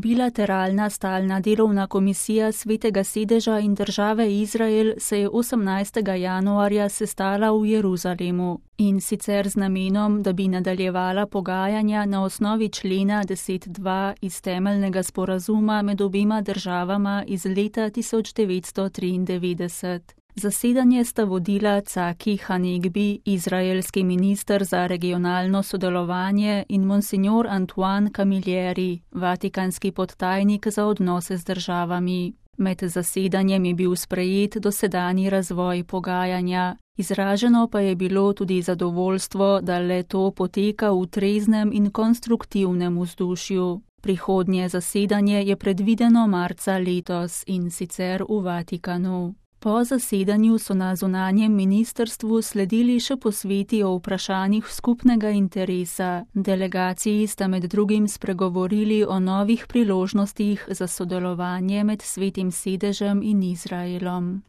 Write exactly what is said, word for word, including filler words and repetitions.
Bilateralna stalna delovna komisija Svetega sedeža in države Izrael se je osemnajstega januarja sestala v Jeruzalemu, in sicer z namenom, da bi nadaljevala pogajanja na osnovi člena deset dva iz temeljnega sporazuma med obema državama iz leta tisoč devetsto triindevetdeset. Zasedanje sta vodila Caki Hanegbi, izraelski minister za regionalno sodelovanje, in monsignor Antoine Camilleri, vatikanski podtajnik za odnose z državami. Med zasedanjem je bil sprejet dosedanji razvoj pogajanja. Izraženo pa je bilo tudi zadovoljstvo, da le to poteka v treznem in konstruktivnem vzdušju. Prihodnje zasedanje je predvideno marca letos, in sicer v Vatikanu. Po zasedanju so na zunanjem ministrstvu sledili še posveti o vprašanjih skupnega interesa. Delegaciji sta med drugim spregovorili o novih priložnostih za sodelovanje med Svetim sedežem in Izraelom.